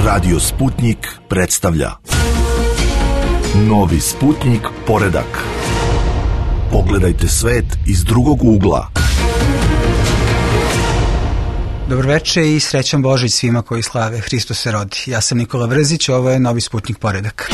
Radio Sputnik predstavlja Novi Sputnik poredak. Pogledajte svet iz drugog ugla. Dobroveče i srećan Božić svima koji slave Hristos se rodi. Ja sam Nikola Vrzić, ovo je Novi Sputnik poredak.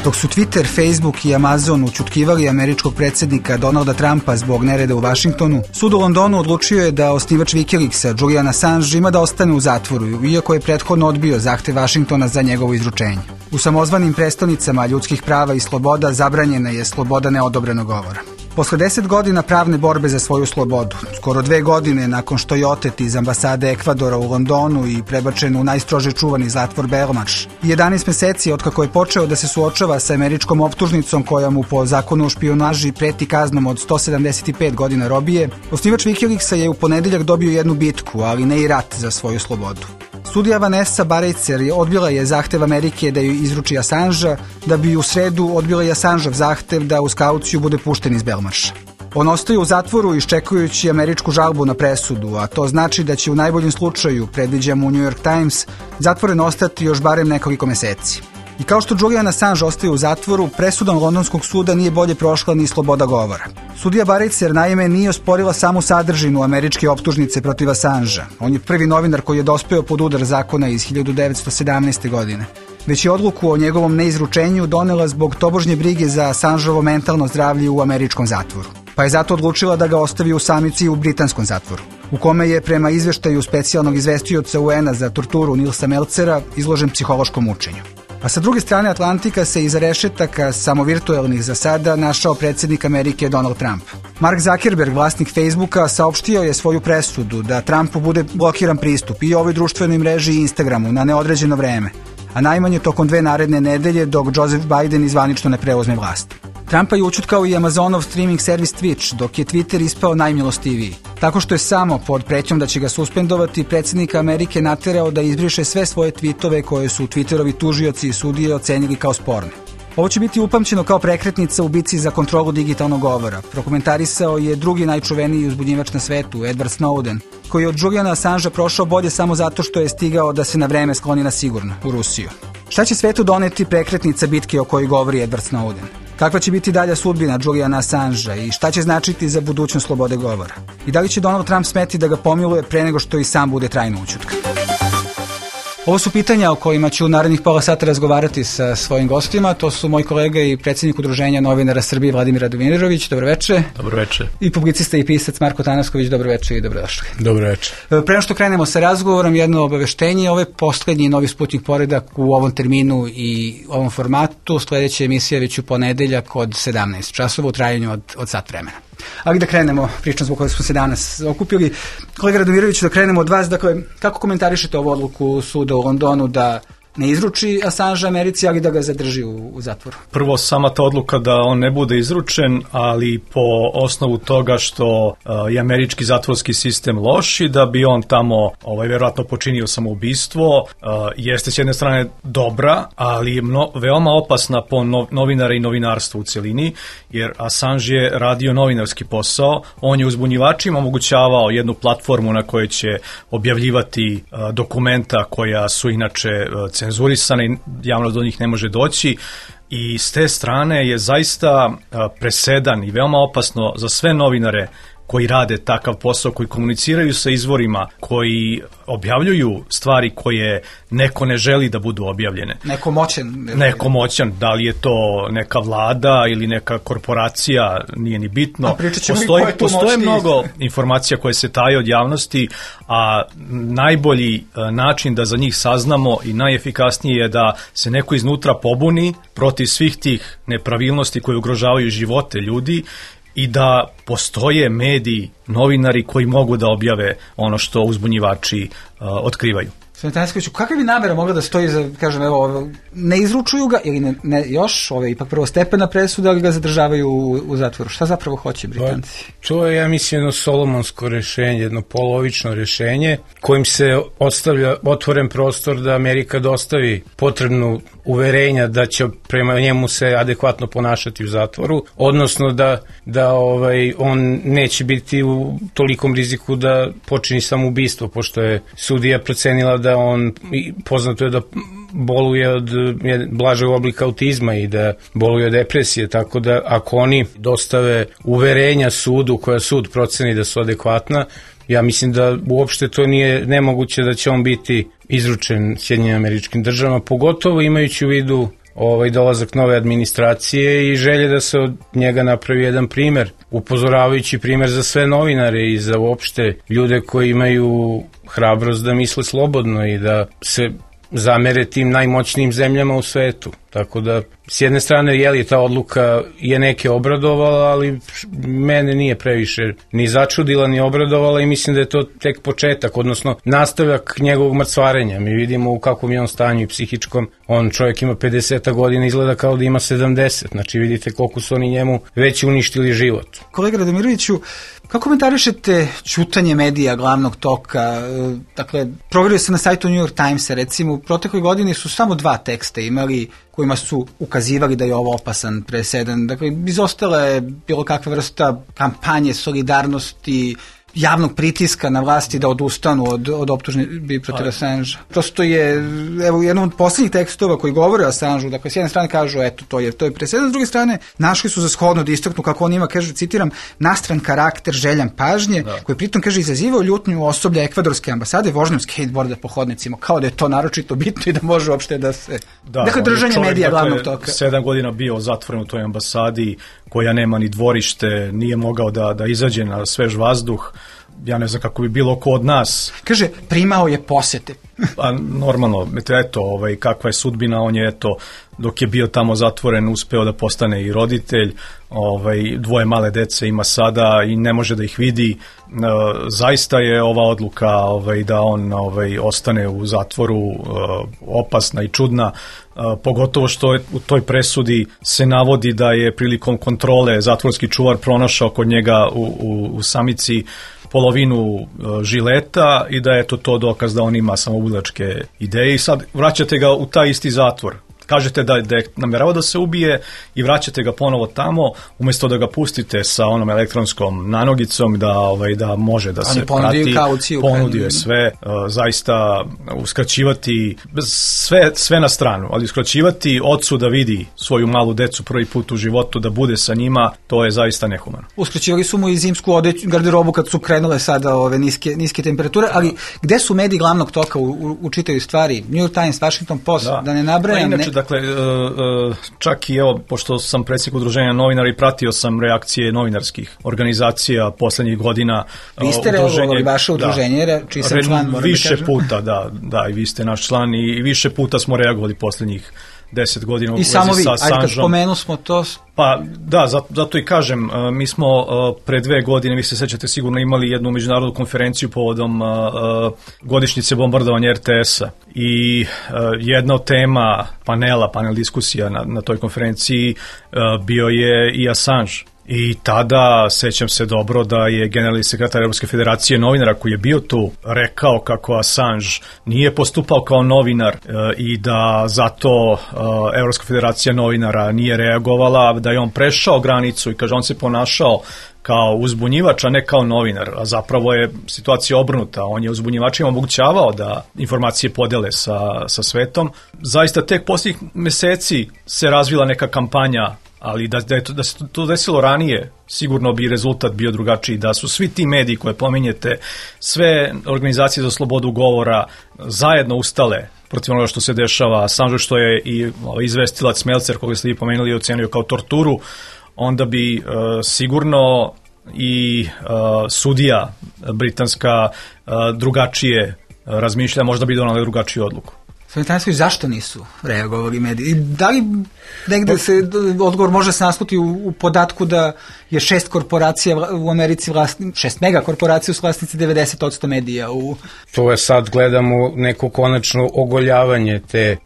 Dok su Twitter, Facebook i Amazon ućutkivali američkog predsjednika Donalda Trumpa zbog nereda u Vašingtonu, sud u Londonu odlučio je da osnivač Wikileaksa Julian Assange ima da ostane u zatvoru, iako je prethodno odbio zahtev Vašingtona za njegovo izručenje. U samozvanim prestonicama ljudskih prava i sloboda zabranjena je sloboda neodobrenog govora. Posle 10 godina pravne borbe za svoju slobodu, skoro 2 godine nakon što je otet iz ambasade Ekvadora u Londonu i prebačen u najstrože čuvani zatvor Belmarsh, i 11 meseci otkako je počeo da se suočava sa američkom optužnicom koja mu po zakonu o špijunaži preti kaznom od 175 godina robije, osnivač Wikileaksa je u ponedeljak dobio jednu bitku, ali ne i rat za svoju slobodu. Sudija Vanessa Baraitser odbila je zahtev Amerike da ju izruči Assangea, da bi u sredu odbila i Assangeov zahtev da uz kauciju bude pušten iz Belmarsha. On ostaje u zatvoru iščekujući američku žalbu na presudu, a to znači da će u najboljem slučaju, predviđa mu New York Times, zatvoren ostati još barem nekoliko meseci. I kao što Julian Assange ostaje u zatvoru, presudom londonskog suda nije bolje prošla ni sloboda govora. Sudija Baraitser naime nije osporila samu sadržinu američke optužnice protiv Assangea. On je prvi novinar koji je dospeo pod udar zakona iz 1917. godine. Već je odluku o njegovom neizručenju donela zbog tobožnje brige za Assangeovo mentalno zdravlje u američkom zatvoru. Pa je zato odlučila da ga ostavi u samici u britanskom zatvoru, u kome je prema izveštaju specijalnog izvestioca UN-a za torturu Nilsa Melcera izložen psihološkom mučenju. A sa druge strane Atlantika se iza rešetaka, samo virtuelnih za sada, našao predsjednik Amerike Donald Trump. Mark Zuckerberg, vlasnik Facebooka, saopštio je svoju presudu da Trumpu bude blokiran pristup i ovoj društvenoj mreži i Instagramu na neodređeno vreme, a najmanje tokom 2 naredne nedelje dok Joseph Biden zvanično ne preuzme vlast. Trumpa je ućutkao i Amazonov streaming servis Twitch, dok je Twitter ispao najmilostiviji. Tako što je samo pod pretnjom da će ga suspendovati predsjednika Amerike naterao da izbriše sve svoje tweetove koje su Twitterovi tužioci i sudije ocenili kao sporne. Ovo će biti upamćeno kao prekretnica u bici za kontrolu digitalnog govora. Prokomentarisao je drugi najčuveniji uzbudnjivač na svetu, Edward Snowden, koji je od Juliana Assangea prošao bolje samo zato što je stigao da se na vreme skloni na sigurno, u Rusiju. Šta će svetu doneti prekretnica bitke o kojoj govori Edward Snowden? Kakva će biti dalja sudbina Juliana Assangea i šta će značiti za budućnost slobode govora? I da li će Donald Trump smeti da ga pomiluje pre nego što i sam bude trajno ućutkan? Ovo su pitanja o kojima ću u narednih pola sata razgovarati sa svojim gostima. To su moj kolega i predsjednik Udruženja novinara Srbije Vladimir Radovinirović. Dobroveče. Dobroveče. I publicista i pisac Marko Tanasković. Dobroveče i dobrodošli. Dobroveče. Pre nego što krenemo sa razgovorom, jedno obaveštenje. Ovo je poslednji Novi Sputnik poredak u ovom terminu i ovom formatu. Sledeća emisija već u ponedeljak od 17 časova u trajanju od sat vremena. Ali da krenemo, pričam zbog koje smo se danas okupili. Kolega Radomirović, da krenemo od vas. Dakle, kako komentarišete ovu odluku suda u Londonu da ne izruči Assange Americi, ali da ga zadrži u zatvoru? Prvo, sama ta odluka da on ne bude izručen, ali po osnovu toga što je američki zatvorski sistem loš i da bi on tamo verovatno počinio samoubistvo, jeste s jedne strane dobra, ali je veoma opasna po novinara i novinarstvo u celini, jer Assange je radio novinarski posao, on je uzbunjivačima omogućavao jednu platformu na kojoj će objavljivati dokumenta koja su inače cenzurisane i javnost do njih ne može doći, i s te strane je zaista presedan i veoma opasno za sve novinare koji rade takav posao, koji komuniciraju sa izvorima, koji objavljuju stvari koje neko ne želi da budu objavljene. Neko moćan, da li je to neka vlada ili neka korporacija, nije ni bitno. Postoje mnogo informacija koje se taje od javnosti, a najbolji način da za njih saznamo i najefikasnije je da se neko iznutra pobuni protiv svih tih nepravilnosti koje ugrožavaju živote ljudi i da postoje mediji, novinari koji mogu da objave ono što uzbunjivači otkrivaju. Kakva bi namera mogla da stoji za, kažem, evo, ne izručuju ga ili ne još, ipak prvostepena presuda, ali ga zadržavaju u zatvoru? Šta zapravo hoće Britanci? To je, ja mislim, jedno solomonsko rešenje, jedno polovično rešenje kojim se ostavlja otvoren prostor da Amerika dostavi potrebnu uverenja da će prema njemu se adekvatno ponašati u zatvoru, odnosno da on neće biti u tolikom riziku da počini samoubistvo, pošto je sudija procenila da on, poznato je da boluje od blažeg oblika autizma i da boluje od depresije, tako da ako oni dostave uverenja sudu koja sud proceni da su adekvatna, ja mislim da uopšte to nije nemoguće da će on biti izručen Sjedinjenim Američkim Državama, pogotovo imajući u vidu dolazak nove administracije i želje da se od njega napravi jedan primer, upozoravajući primer za sve novinare i za uopšte ljude koji imaju hrabrost da misle slobodno i da se zamere tim najmoćnijim zemljama u svetu. Tako da, s jedne strane, ta odluka je neke obradovala, ali mene nije previše ni začudila, ni obradovala i mislim da je to tek početak, odnosno nastavak njegovog mrcvarenja. Mi vidimo u kakvom je on stanju i psihičkom. On čovjek ima 50 godina, izgleda kao da ima 70. Znači, vidite koliko su oni njemu već uništili život. Kolega Radomiroviću, kako komentarišete ćutanje medija glavnog toka? Dakle, proverio se na sajtu New York Timesa, recimo, u protekloj godini su samo 2 teksta imali kojima su ukazivali da je ovo opasan presedan. Dakle, izostala je bilo kakva vrsta kampanje, solidarnosti, javnog pritiska na vlasti da odustanu od optužbi protiv Assangea. Prosto je, evo, jednom od posljednjih tekstova koji govore o Assangeu, dakle, s jedne strane kažu, eto, to je presedan, s druge strane, našli su za shodno da istaknu, kako on ima, kaže, citiram, nastran karakter, željan pažnje, koji pritom, kaže, izazivao ljutnju osoblja ekvadorske ambasade vožnjom skateboarda po hodnicima, kao da je to naročito bitno i da može uopšte da se... dakle, držanje medija glavnog toka. 7 godina bio zatvoren u toj ambasadi, koja nema ni dvorište, nije mogao da izađe na svež vazduh. Ja ne znam kako bi bilo ko od nas. Kaže, primao je posete. Pa normalno, eto, kakva je sudbina, on je, eto, dok je bio tamo zatvoren, uspeo da postane i roditelj, 2 male dece ima sada i ne može da ih vidi. Zaista je ova odluka da on ostane u zatvoru opasna i čudna, pogotovo što u toj presudi se navodi da je prilikom kontrole zatvorski čuvar pronašao kod njega u samici polovinu žileta i da je to dokaz da on ima samoubilačke ideje i sad vraćate ga u taj isti zatvor. Kažete da je nameravao da se ubije i vraćate ga ponovo tamo, umjesto da ga pustite sa onom elektronskom nanogicom da može da se prati. Ponudio je sve, zaista uskraćivati sve na stranu, ali uskraćivati ocu da vidi svoju malu decu prvi put u životu, da bude sa njima, to je zaista nehumano. Uskraćivali su mu i zimsku garderobu kad su krenule sada ove niske temperature, ali gde su mediji glavnog toka u čitavoj stvari? New York Times, Washington Post, da ne nabrajam. Dakle, čak i evo, pošto sam predsjednik udruženja novinara i pratio sam reakcije novinarskih organizacija poslednjih godina. Vi ste reagovali vaše udruženje, čiji sam član, više puta, da, i vi ste naš član i više puta smo reagovali poslednjih 10 godina u vezi sa Assangeom. I samo vi, kad spomenu smo to... Pa da, zato i kažem, mi smo pre 2 godine, vi se sećate sigurno, imali jednu međunarodnu konferenciju povodom godišnjice bombardovanja RTS-a i jedna od tema panel diskusija na toj konferenciji bio je i Assange. I tada, sećam se dobro, da je generalni sekretar Evropske federacije novinara koji je bio tu rekao kako Assange nije postupao kao novinar i da zato Evropska federacija novinara nije reagovala, da je on prešao granicu i kaže on se ponašao kao uzbunjivač, a ne kao novinar, a zapravo je situacija obrnuta. On je uzbunjivačima omogućavao da informacije podele sa svetom. Zaista tek posljednjih meseci se razvila neka kampanja, ali da se to desilo ranije, sigurno bi rezultat bio drugačiji, da su svi ti mediji koje pominjete, sve organizacije za slobodu govora zajedno ustale protiv onoga što se dešava, Assange, što je i izvestilac Melcer, koga ste vi pomenuli, ocenio kao torturu, onda bi sigurno i sudija britanska drugačije razmišlja, možda bi donala drugačiju odluku. Svetanstvoj, zašto nisu reagovali mediji? Da li negde se odgovor može se nasluti u podatku da je 6 korporacija u Americi 6 megakorporacija su vlasnici 90% medija u... To je sad, gledamo neko konačno ogoljavanje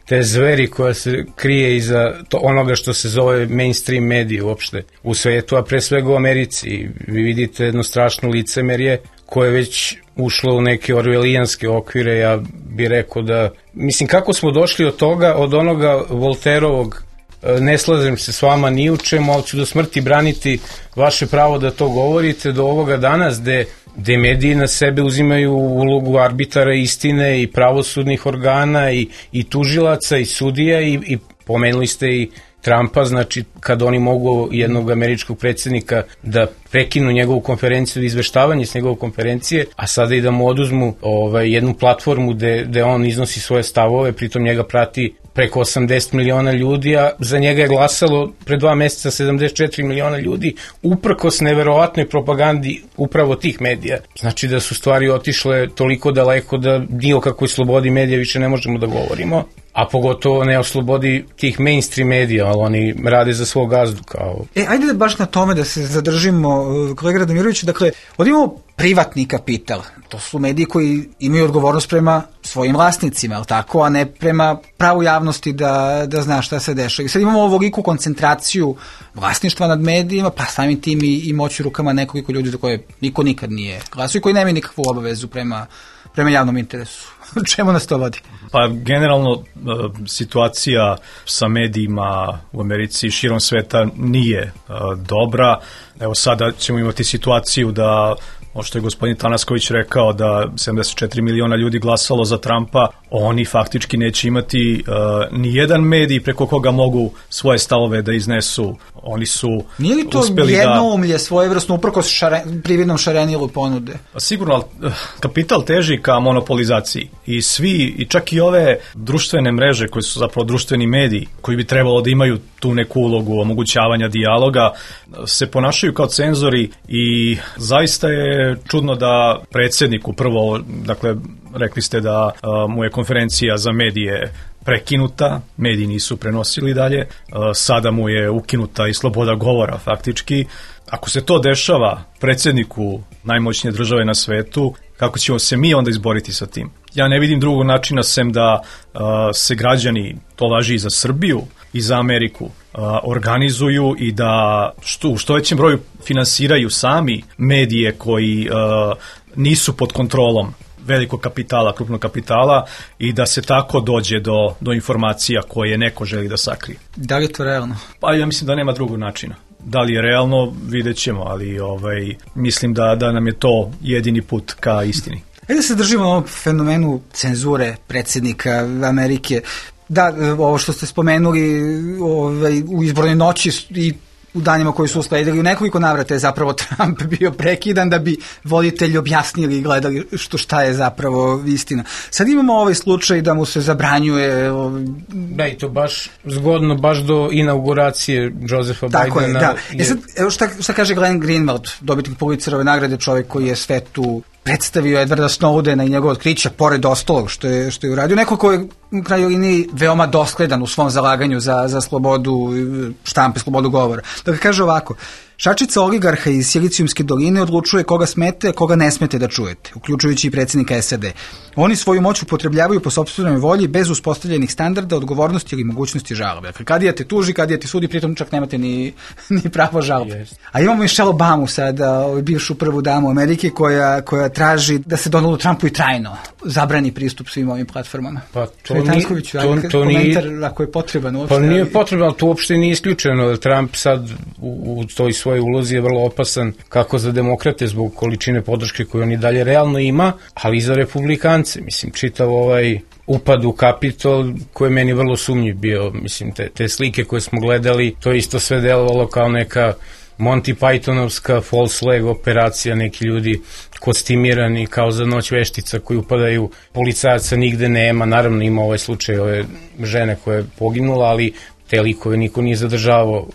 te zveri koja se krije iza onoga što se zove mainstream medije uopšte u svetu, a pre svega u Americi. Vi vidite jedno strašno licemerje koje je već ušlo u neke orvelijanske okvire. Ja bi rekao da, mislim, kako smo došli od toga, od onoga Volterovog, ne slažem se s vama ni u čemu, ali ću do smrti braniti vaše pravo da to govorite, do ovoga danas gde mediji na sebe uzimaju ulogu arbitara istine i pravosudnih organa i tužilaca i sudija i pomenuli ste i Trumpa, znači kad oni mogu jednog američkog predsjednika da prekinu njegovu konferenciju, izveštavanje s njegove konferencije, a sada i da mu oduzmu jednu platformu gde on iznosi svoje stavove, pritom njega prati preko 80 miliona ljudi, a za njega je glasalo pre 2 meseca 74 miliona ljudi, uprkos neverovatnoj propagandi upravo tih medija. Znači da su stvari otišle toliko daleko da ni o kakvoj slobodi medija više ne možemo da govorimo, a pogotovo ne o slobodi tih mainstream medija, ali oni rade za svog gazdu kao... Ajde da baš na tome da se zadržimo, kolega Radomiroviću, dakle, ovdje imamo privatni kapital, to su mediji koji imaju odgovornost prema svojim vlasnicima, ali tako, a ne prema pravu javnosti da zna šta se dešava. I sad imamo ovoliku koncentraciju vlasništva nad medijima, pa samim tim i moći u rukama nekoliko ljudi za koje niko nikad nije glasio i koji nemaju nikakvu obavezu prema javnom interesu. Čemu nas to vodi? Pa generalno situacija sa medijima u Americi i širom sveta nije dobra. Evo sada ćemo imati situaciju da, što je gospodin Tanasković rekao, da 74 miliona ljudi glasalo za Trumpa, oni faktički neće imati ni jedan medij preko koga mogu svoje stavove da iznesu. Oni su uspeli da... Nije li to jednoumlje svojevrsno uprkos prividnom šarenilu ponude? Sigurno, ali kapital teži ka monopolizaciji i svi, i čak i ove društvene mreže koje su zapravo društveni mediji, koji bi trebalo da imaju tu neku ulogu omogućavanja dijaloga, se ponašaju kao cenzori i zaista je čudno da predsjedniku prvo, dakle, rekli ste da mu je konferencija za medije prekinuta, mediji nisu prenosili dalje, sada mu je ukinuta i sloboda govora faktički. Ako se to dešava predsjedniku najmoćnije države na svetu, kako ćemo se mi onda izboriti sa tim? Ja ne vidim drugog načina sem da se građani, to važi i za Srbiju i za Ameriku, organizuju i da u što većem broju finansiraju sami medije koji nisu pod kontrolom velikog kapitala, krupnog kapitala i da se tako dođe do informacija koje neko želi da sakrije. Da li je to realno? Pa ja mislim da nema drugog načina. Da li je realno, vidjet ćemo, ali mislim da nam je to jedini put ka istini. Da se držimo na ovom fenomenu cenzure predsjednika Amerike. Da, ovo što ste spomenuli u izbornoj noći i u danima koji su usledili, u nekoliko navrata je zapravo Trump bio prekidan da bi voditelji objasnili i gledali šta je zapravo istina. Sad imamo ovaj slučaj da mu se zabranjuje... Da, i to baš zgodno, baš do inauguracije Josepha Bidena. Tako je, da. Sad, evo šta kaže Glenn Greenwald, dobitnik Pulitzerove nagrade, čovjek koji je svetu predstavio Edwarda Snowdena i njegov otkrića, pored ostalog što je uradio. Neko ko je u krajnjoj liniji veoma dosledan u svom zalaganju za slobodu štampe, slobodu govora. Dakle, kaže ovako: šačica oligarha iz Silicijumske doline odlučuje koga smete, a koga ne smete da čujete, uključujući i predsjednika SAD. Oni svoju moć upotrebljavaju po sopstvenoj volji bez uspostavljenih standarda, odgovornosti ili mogućnosti žalbe. Dakle, kadija te tuži, kadija te sudi, pritom čak nemate ni pravo žalbe. Yes. A imamo Michelle Obamu sada, bivšu prvu damu Amerike, koja traži da se Donaldu Trumpu i trajno zabrani pristup svim ovim platformama. Pa to komentar ako je potreban uopšte. Pa nije potreban, ali to uopšte nije isključeno. Trump sad u toj svojoj ulozi je vrlo opasan kako za demokrate zbog količine podrške koju on i dalje realno ima, ali i za republikance. Mislim, čitav upad u Kapitol koji je meni vrlo sumnjiv bio. Mislim, te slike koje smo gledali, to isto sve delovalo kao neka Monty Pythonovska false flag operacija, neki ljudi kostimirani kao za noć veštica koji upadaju, policajaca nigde nema, naravno ima ovaj slučaj ove žene koja je poginula, ali te likove niko nije zadržavao,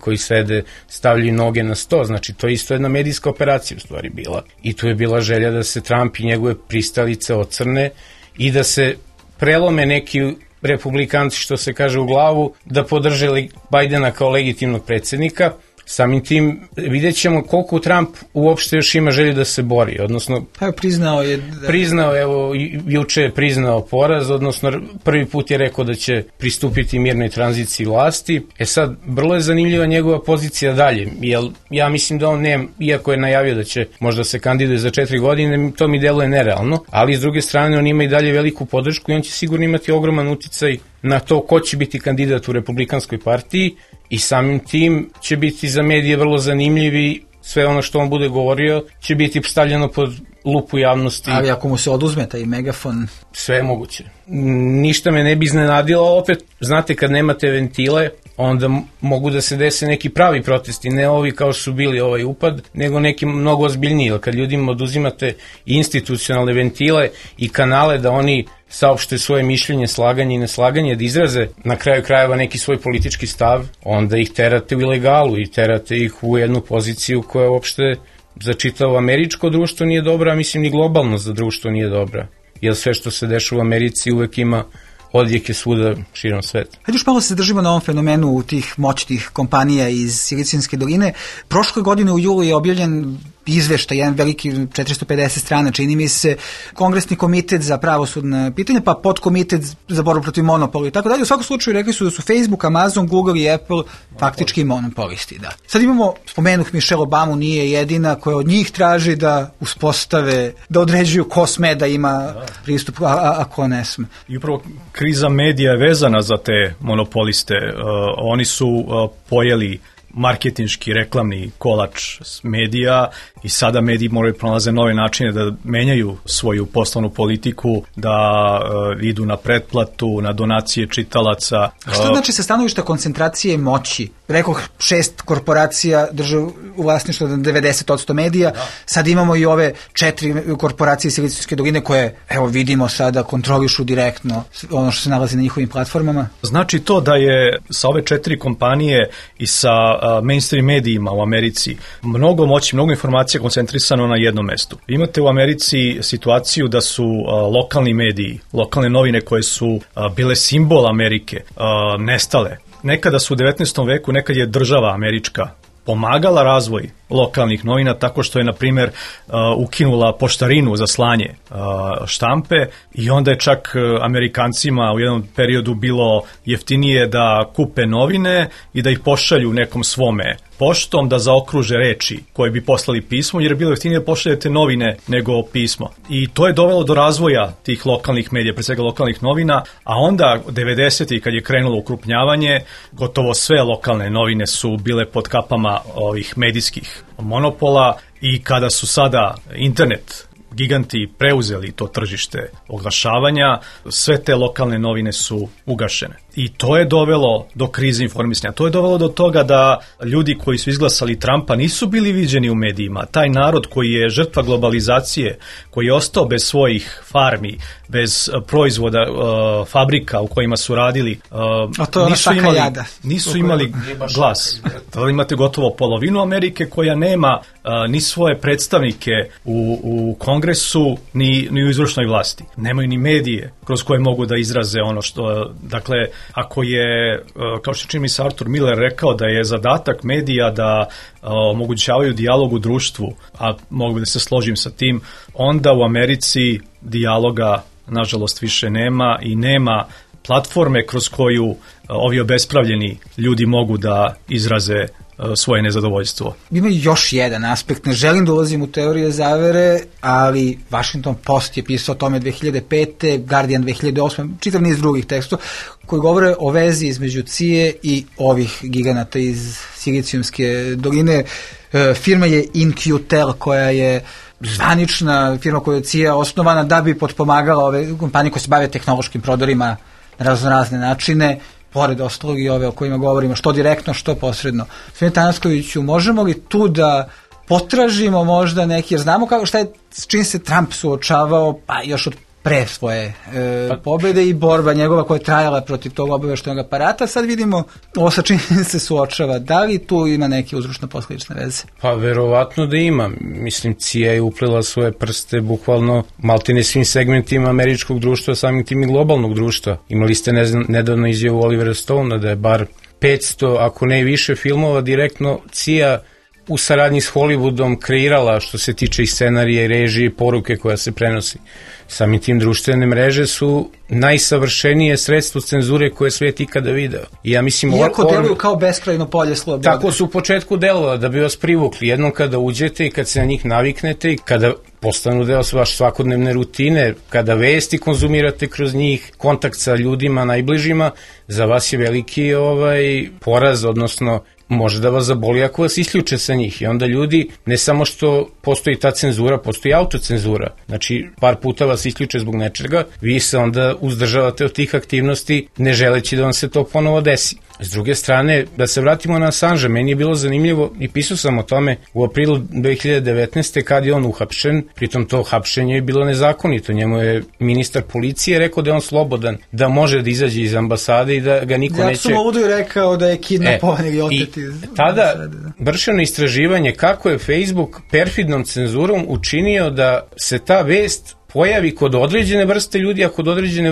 koji sede, stavljaju noge na sto, znači to je isto jedna medijska operacija u stvari bila. I tu je bila želja da se Trump i njegove pristalice ocrne i da se prelome neki republikanci, što se kaže, u glavu, da podrže Bidena kao legitimnog predsjednika, samim tim vidjet ćemo koliko Trump uopšte još ima želju da se bori, odnosno priznao je evo juče je priznao poraz, odnosno prvi put je rekao da će pristupiti mirnoj tranziciji vlasti. Sad, vrlo je zanimljiva njegova pozicija dalje, jer ja mislim da on nema, iako je najavio da će možda se kandiduje za 4 godine, to mi deluje nerealno, ali s druge strane on ima i dalje veliku podršku i on će sigurno imati ogroman uticaj na to ko će biti kandidat u Republikanskoj partiji i samim tim će biti za medije vrlo zanimljivi, sve ono što on bude govorio će biti stavljeno pod lupu javnosti. Ali ako mu se oduzme taj megafon... Sve je moguće. Ništa me ne bi iznenadilo, opet, znate, kad nemate ventile, onda mogu da se dese neki pravi protesti, ne ovi kao su bili ovaj upad, nego neki mnogo ozbiljniji, kad ljudima oduzimate institucionalne ventile i kanale da oni saopšte svoje mišljenje, slaganje i neslaganje, da izraze na kraju krajeva neki svoj politički stav, onda ih terate u ilegalu i terate ih u jednu poziciju koja uopšte za čitavo američko društvo nije dobra, a mislim ni globalno za društvo nije dobra. Jer sve što se dešava u Americi uvek ima odjeke svuda širom sveta. Hajde još malo se držimo na ovom fenomenu tih moćnih kompanija iz Silicijske doline. Prošle godine u julu je objavljen izveštaj, jedan veliki 450 strana, čini mi se, Kongresni komitet za pravosudna pitanja, pa podkomitet za borbu protiv monopola i tako dalje. U svakom slučaju rekli su da su Facebook, Amazon, Google i Apple faktički monopolisti. Da. Sad imamo, spomenuh Michelle Obamu, nije jedina koja od njih traži da uspostave, da određuju ko sme da ima pristup, a ko ne sme. I upravo kriza medija je vezana za te monopoliste. Oni su pojeli marketinški, reklamni kolač medija i sada mediji moraju pronalaze nove načine da menjaju svoju poslovnu politiku, da idu na pretplatu, na donacije čitalaca. A što znači sa stanovišta koncentracije moći? Rekoh 6 korporacija drže u vlasništvu 90% medija, sad imamo i ove 4 korporacije Silicijske doline koje, evo vidimo sada, kontrolišu direktno ono što se nalazi na njihovim platformama. Znači to da je sa ove 4 kompanije i sa mainstream medijima u Americi mnogo moći, mnogo informacija koncentrisano na jednom mestu. Imate u Americi situaciju da su lokalni mediji, lokalne novine koje su bile simbol Amerike, nestale. Nekada su u 19. veku, nekad je država američka pomagala razvoj lokalnih novina tako što je, na primjer, ukinula poštarinu za slanje štampe i onda je čak Amerikancima u jednom periodu bilo jeftinije da kupe novine i da ih pošalju nekom svome poštom, da zaokruže reči koje bi poslali pismo, jer je bilo jeftinije da pošaljete novine nego pismo. I to je dovelo do razvoja tih lokalnih medija, pre svega lokalnih novina, a onda 90. kad je krenulo ukrupnjavanje, gotovo sve lokalne novine su bile pod kapama ovih medijskih monopola i kada su sada internet giganti preuzeli to tržište oglašavanja, sve te lokalne novine su ugašene. I to je dovelo do krize informisanja. To je dovelo do toga da ljudi koji su izglasali Trumpa nisu bili viđeni u medijima. Taj narod koji je žrtva globalizacije, koji je ostao bez svojih farmi, bez proizvoda, fabrika u kojima su radili, nisu imali glas. Tada imate gotovo polovinu Amerike koja nema ni svoje predstavnike u Kongresu, ni u izvršnoj vlasti. Nemaju ni medije kroz koje mogu da izraze ono što, dakle, ako je, kao što čini mi se Arthur Miller rekao da je zadatak medija da omogućavaju dijalog u društvu, a mogu da se složim sa tim, onda u Americi dijaloga nažalost više nema i nema platforme kroz koju ovi obespravljeni ljudi mogu da izraze svoje nezadovoljstvo. Ima još jedan aspekt, ne želim da ulazim u teorije zavere, ali Washington Post je pisao o tome 2005. Guardian 2008. čitav niz drugih tekstova koji govore o vezi između CIA i ovih giganata iz Silicijumske doline. Firma je In-Q-Tel koja je zvanična firma koja je CIA osnovana da bi potpomagala ove kompanije koje se bave tehnološkim prodorima na razne načine, pored ostalog i ove o kojima govorimo, što direktno, što posredno. Gospodine Tanaskoviću, možemo li tu da potražimo možda neki, jer znamo šta je, s čim se Trump suočavao, pa još od pre svoje pobede i borba njegova koja je trajala protiv tog obaveštajnog aparata, sad vidimo ovo sa čim se suočava. Da li tu ima neke uzročno-posledične veze? Pa verovatno da ima. Mislim, CIA je uplela svoje prste bukvalno maltene svim segmentima američkog društva, samim tim i globalnog društva. Imali ste nedavno izjavu Olivera Stonea da je bar 500, ako ne više filmova, direktno CIA u saradnji s Hollywoodom kreirala što se tiče i scenarija i režije i poruke koja se prenosi. Samim tim društvene mreže su najsavršenije sredstvo cenzure koje je svijet ikada video. I ja mislim, iako deluju kao beskrajno polje slobode. Tako su u početku delovali da bi vas privukli. Jednom kada uđete i kad se na njih naviknete i kada postanu deo vaše svakodnevne rutine, kada vesti konzumirate kroz njih, kontakt sa ljudima najbližima, za vas je veliki poraz, odnosno može da vas zaboli ako vas isključe sa njih. I onda ljudi, ne samo što postoji ta cenzura, postoji autocenzura. Znači, par puta vas isključe zbog nečega, vi se onda uzdržavate od tih aktivnosti, ne želeći da vam se to ponovo desi. S druge strane, da se vratimo na Assangea, meni je bilo zanimljivo i pisao sam o tome u aprilu 2019. kad je on uhapšen, pritom to hapšenje je bilo nezakonito, njemu je ministar policije rekao da je on slobodan, da može da izađe iz ambasade i da ga niko neće... Jackson je rekao da je kidnapovan ili otet iz ambasade. Tada vršeno istraživanje kako je Facebook perfidnom cenzurom učinio da se ta vest pojavi kod određene vrste ljudi, a kod određene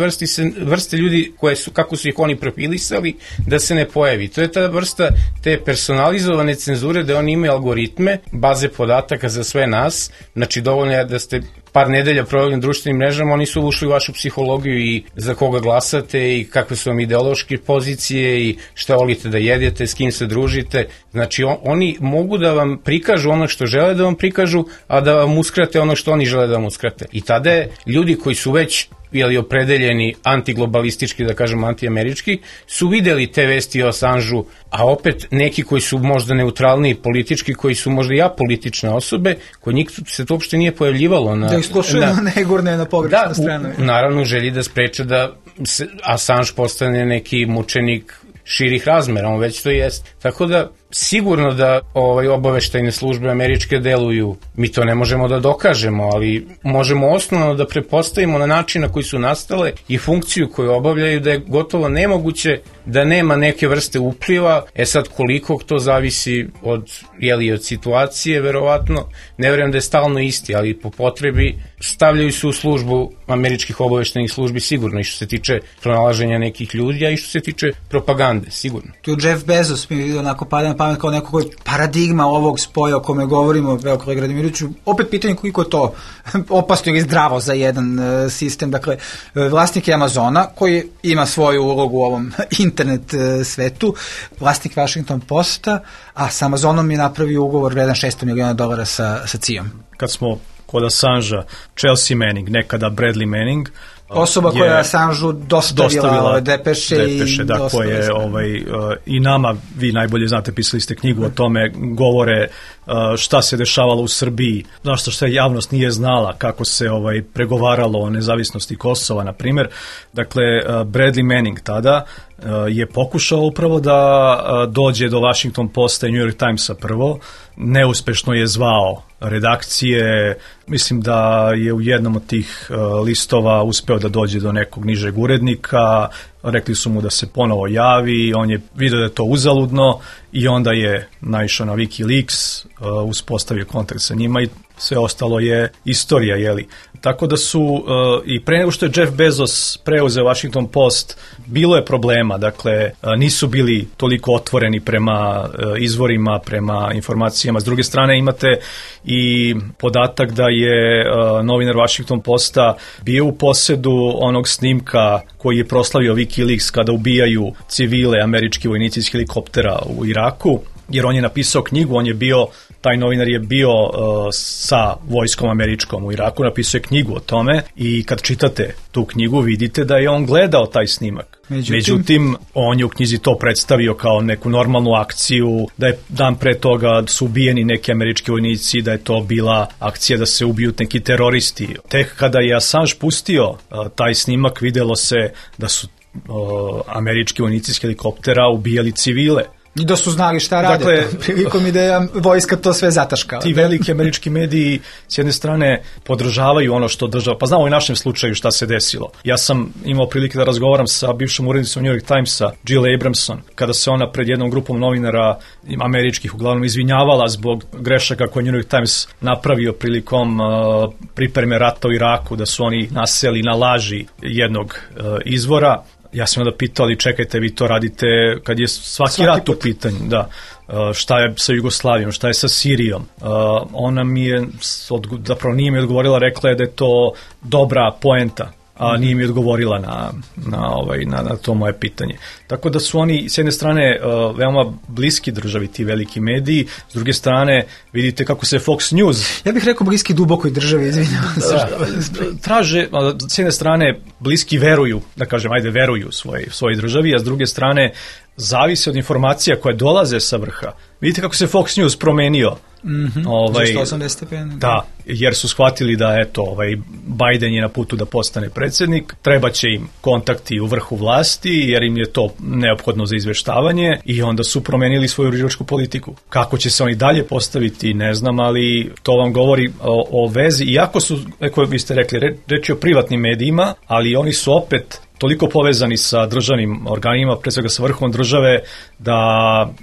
vrste ljudi koje su, kako su ih oni profilisali, da se ne pojavi. To je ta vrsta te personalizovane cenzure da oni imaju algoritme, baze podataka za sve nas, znači dovoljno je da ste par nedelja proveli na društvenim mrežama, oni su ušli u vašu psihologiju i za koga glasate i kakve su vam ideološke pozicije i šta volite da jedete, s kim se družite. Znači oni mogu da vam prikažu ono što žele da vam prikažu, a da vam uskrate ono što oni žele da vam uskrate. I tada je ljudi koji su već opredeljeni antiglobalistički, da kažem antiamerički, su videli te vesti o Assangeu, a opet neki koji su možda neutralni politički, koji su možda i apolitične osobe, kod njih se to uopšte nije pojavljivalo. Da ih slušaju ne gurne na pogrešnu stranu. Naravno, želi da spreče da Assange postane neki mučenik širih razmera, on već to jest. Tako da, sigurno da obaveštajne službe američke deluju, mi to ne možemo da dokažemo, ali možemo osnovno da pretpostavimo na način na koji su nastale i funkciju koju obavljaju, da je gotovo nemoguće da nema neke vrste upliva. Sad koliko to zavisi od situacije, verovatno, ne vjerujem da je stalno isti, ali po potrebi stavljaju se u službu američkih obaveštajnih službi sigurno, i što se tiče pronalaženja nekih ljudi, a i što se tiče propagande, sigurno. Tu Jeff Bezos mi je onako pada na pamet kao neko koji je paradigma ovog spoja o kome govorimo, kolega Radimiroviću. Opet pitanje koliko je to opasno ili zdravo za jedan sistem. Dakle, vlasnik je Amazona koji ima svoju ulogu u ovom internet svetu, vlasnik Washington Posta, a sa Amazonom je napravio ugovor vredan $600 miliona sa CIA-om. Kad smo kod Assangea, Chelsea Manning, nekada Bradley Manning, osoba koja je Assangeu dostavila depeše da, koje i nama, vi najbolje znate, pisali ste knjigu o tome, govore šta se dešavalo u Srbiji, zašto što javnost nije znala, kako se pregovaralo o nezavisnosti Kosova, na primjer. Dakle, Bradley Manning tada je pokušao upravo da dođe do Washington Posta i New York Timesa prvo, neuspešno je zvao redakcije, mislim da je u jednom od tih listova uspeo da dođe do nekog nižeg urednika, rekli su mu da se ponovo javi, on je vidio da je to uzaludno i onda je naišao na WikiLeaks, uspostavio kontakt sa njima i sve ostalo je istorija, jeli. Tako da su, i pre nego što je Jeff Bezos preuzeo Washington Post, bilo je problema, dakle, nisu bili toliko otvoreni prema izvorima, prema informacijama. S druge strane imate i podatak da je novinar Washington Posta bio u posedu onog snimka koji je proslavio WikiLeaks kada ubijaju civile, američki vojnici iz helikoptera u Iraku, jer on je napisao knjigu, taj novinar je bio sa vojskom američkom u Iraku, napisao je knjigu o tome i kad čitate tu knjigu vidite da je on gledao taj snimak. Međutim, on je u knjizi to predstavio kao neku normalnu akciju, da je dan pre toga su ubijeni neki američki vojnici, da je to bila akcija da se ubiju neki teroristi. Tek kada je Assange pustio taj snimak, videlo se da su američki vojnici iz helikoptera ubijali civile. I da su znali šta rade, dakle, prilikom i da je vojska to sve zataškala. Ti veliki američki mediji s jedne strane podržavaju ono što država, pa znamo u našem slučaju šta se desilo. Ja sam imao prilike da razgovaram sa bivšom urednicom New York Timesa, Jill Abramson, kada se ona pred jednom grupom novinara američkih uglavnom izvinjavala zbog grešaka koje New York Times napravio prilikom pripreme rata u Iraku, da su oni naseli na laži jednog izvora. Ja sam onda pitao, ali čekajte, vi to radite kad je svaki rat u pitanju, da. Šta je sa Jugoslavijom, šta je sa Sirijom. Ona mi je, zapravo nije mi odgovorila, rekla je da je to dobra poenta, a nije mi odgovorila na to moje pitanje. Tako da su oni s jedne strane veoma bliski državi, ti veliki mediji, s druge strane vidite kako se Fox News... Ja bih rekao bliski dubokoj državi, izvinjavam se. Traže, s jedne strane bliski veruju, da kažem, veruju svojoj državi, a s druge strane zavise od informacija koje dolaze sa vrha. Vidite kako se Fox News promenio. Za 180 stepeni. Da, jer su shvatili da Biden je na putu da postane predsjednik, treba će im kontakti u vrhu vlasti, jer im je to neophodno za izveštavanje, i onda su promenili svoju uređivačku politiku. Kako će se oni dalje postaviti, ne znam, ali to vam govori o vezi, iako su, kako vi ste rekli, reći o privatnim medijima, ali oni su opet toliko povezani sa državnim organima, pre svega sa vrhom države, da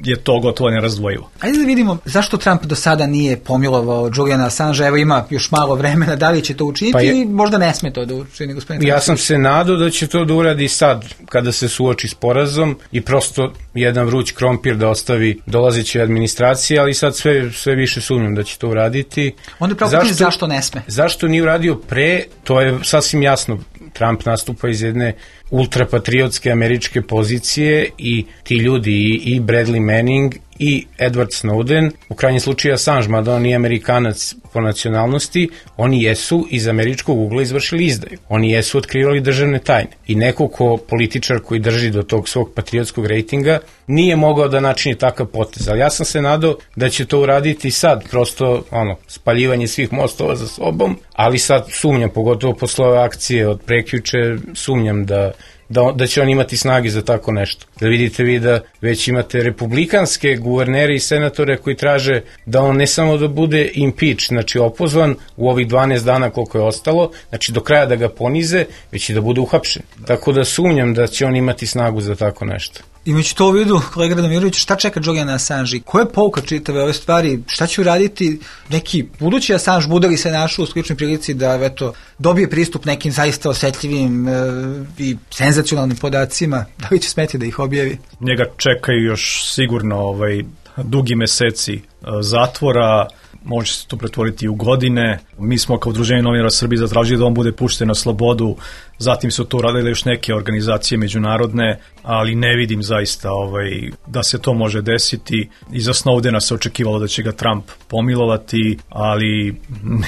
je to gotovo nerazdvojivo. Ajde da vidimo zašto Trump do sada nije pomilovao Juliana Assange, evo ima još malo vremena, da li će to učiniti ili možda ne sme to da učini, gospodine? Ja sam se nadao da će to da uradi sad, kada se suoči s porazom i prosto jedan vruć krompir da ostavi dolazeće administracije, ali sad sve više sumnjam da će to uraditi. Onda je pravo zašto ne sme? Zašto nije uradio pre, to je sasvim jasno. Trump nastupa iz jedne ultrapatriotske američke pozicije i ti ljudi, i Bradley Manning i Edward Snowden, u krajnjem slučaju Assange, mada on nije Amerikanac po nacionalnosti, oni jesu iz američkog ugla izvršili izdaju. Oni jesu otkrivali državne tajne. I neko političar koji drži do tog svog patriotskog rejtinga nije mogao da načini takav potez. Ali ja sam se nadao da će to uraditi sad, prosto spaljivanje svih mostova za sobom, ali sad sumnjam, pogotovo posle ove akcije od prekjuče, sumnjam da će on imati snage za tako nešto. Da vidite vi da već imate republikanske guvernere i senatore koji traže da on ne samo da bude impeach, znači opozvan u ovih 12 dana koliko je ostalo, znači do kraja da ga ponize, već i da bude uhapšen. Tako da sumnjam da će on imati snagu za tako nešto. Imajući to u vidu, kolega Radomirović, šta čeka Juliana Assange? Koja je pouka čitave ove stvari? Šta će uraditi neki budući Assange? Bude li se našao u sličnoj prilici da dobije pristup nekim zaista osetljivim i senzacionalnim podacima? Da li će smeti da ih objavi? Njega čekaju još sigurno dugi meseci zatvora, može se to pretvoriti u godine. Mi smo kao Udruženje novinara Srbije zatražili da on bude pušten na slobodu, zatim su to uradile još neke organizacije međunarodne, ali ne vidim zaista da se to može desiti. Iza Snowdena se očekivalo da će ga Trump pomilovati, ali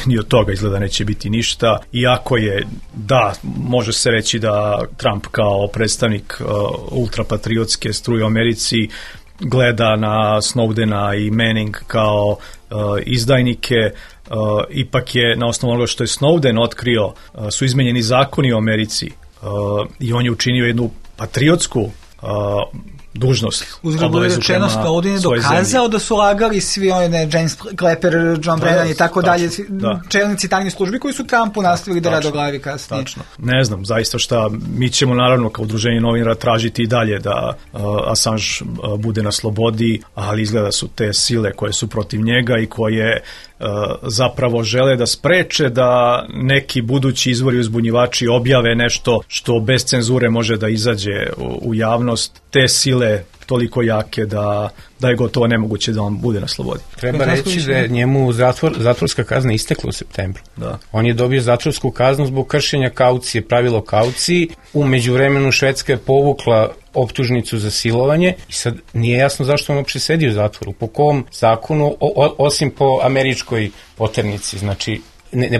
ni od toga izgleda neće biti ništa. Iako je, da, može se reći da Trump kao predstavnik ultrapatriotske struje u Americi gleda na Snowdena i Manning kao izdajnike. Ipak je na osnovu onoga što je Snowden otkrio, su izmenjeni zakoni u Americi i on je učinio jednu patriotsku dužnost. Uzgled bude rečeno, Snowden je dokazao da su lagali svi James Clapper, John Brennan i tako dalje, čelnici tajnih službi koji su Trumpu nastavili da rade o glavi kasnije. Tačno. Ne znam zaista šta, mi ćemo naravno kao Udruženje novinara tražiti i dalje da Assange bude na slobodi, ali izgleda su te sile koje su protiv njega i koje zapravo žele da spreče da neki budući izvori uzbunjivači objave nešto što bez cenzure može da izađe u javnost. Te sile toliko jake da je gotovo nemoguće da on bude na slobodi. Treba reći da je njemu zatvorska kazna istekla u septembru. Da. On je dobio zatvorsku kaznu zbog kršenja kaucije, pravilo kauciji. U međuvremenu Švedska je povukla optužnicu za silovanje i sad nije jasno zašto on uopšte sedi u zatvoru. Po kom zakonu, osim po američkoj poternici. Znači,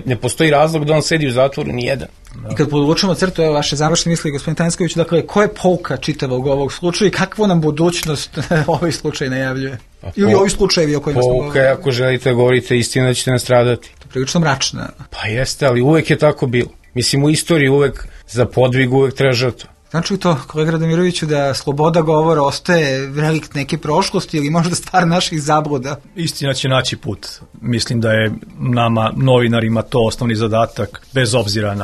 ne postoji razlog da on sedi u zatvoru, ni jedan. I kad podvučemo crtu, evo vaše završne misli, gospodin Tanjsković, dakle, koja je pouka čitavog ovog slučaja i kakvu nam budućnost ovaj slučaj najavljuje? Ili ovi slučajevi o kojima smo govorili? Pouka je, ako želite govorite istinu, da ćete nastradati. To je prilično mračna. Pa jeste, ali uvek je tako bilo. Mislim, u istoriji uvek za podvig uvek treba žrtva. Znači li to, kolega Radomiroviću, da sloboda govora ostaje relikt neke prošlosti ili možda stvar naših zabluda? Istina će naći put. Mislim da je nama, novinarima, to osnovni zadatak, bez obzira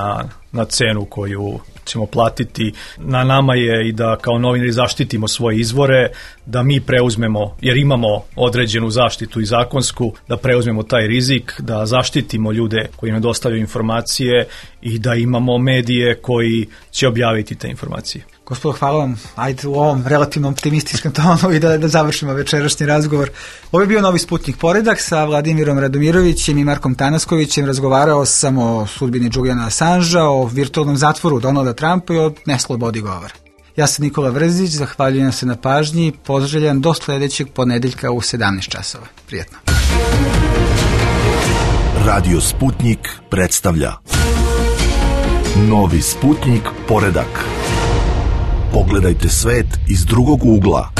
na cenu koju ćemo platiti. Na nama je i da kao novinari zaštitimo svoje izvore, da mi preuzmemo, jer imamo određenu zaštitu i zakonsku, da preuzmemo taj rizik, da zaštitimo ljude koji nam dostavljaju informacije i da imamo medije koji će objaviti te informacije. Gospodo, hvala vam. Ajde u ovom relativno optimističkom tonu i da završimo večerašnji razgovor. Ovo je bio Novi Sputnik Poredak sa Vladimirom Radomirovićem i Markom Tanaskovićem. Razgovarao sam o sudbini Juliana Assangea, o virtualnom zatvoru Donalda Trumpa i o neslobodi govora. Ja sam Nikola Vrzić, zahvaljujem se na pažnji, pozdravljam do sledećeg ponedeljka u 17 časova. Prijetno. Radio Sputnik predstavlja Novi Sputnik Poredak. Pogledajte svet iz drugog ugla.